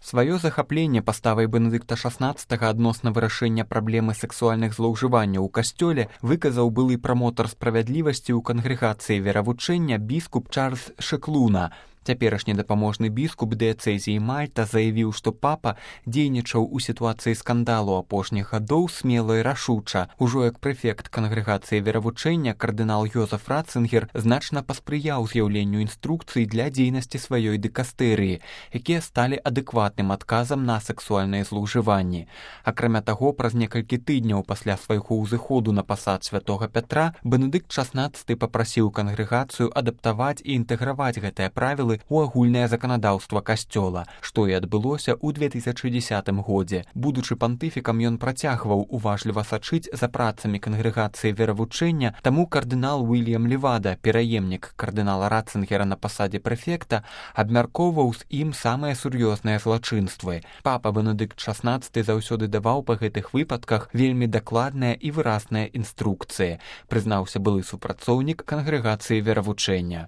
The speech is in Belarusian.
Сваё захапленне паставай Бенедыкта XVI адносна вырашэння праблемы сексуальных злоўжыванняў у касцёле выказаў былы прамотар справядлівасці ў кангрэгацыі веравучэння біскуп Чарльз Шэклуна. Цяперашні дапаможны біскуп дыяцэзіі Мальта заявіў, што папа дзейнічаў у сітуацыі скандалу апошніх гадоў смела і рашуча. Ужо як прэфект кангрэгацыі веравучэння кардынал Йозеф Ратцынгер значна паспрыяў з'яўленню інструкцый для дзейнасці сваёй дыкастэрыі, якія сталі адэкватным адказам на сексуальныя злоўжыванні. Акрамя таго, праз некалькі тыдняў пасля свайго ўзыходу на пасад святога Пятра Бенедыкт XVI папрасіў кангрэгацыю адаптаваць і інтэграваць гэтыя правілы у агульнае заканадаўства касцёла, што і адбылося ў 2010 годзе. Будучы пантыфікам, ён працягваў уважліва сачыць за працамі кангрэгацыі веравучэння, таму кардынал Уільям Левада, пераемнік кардынала Ратцынгера на пасадзе прэфекта, абмяркоўваў з ім самыя сур'ёзныя злачынствы. Папа Бенедыкт XVI заўсёды даваў па гэтых выпадках вельмі дакладныя і выразныя інструкцыі, прызнаўся былы супрацоўнік кангрэгацыі веравучэння.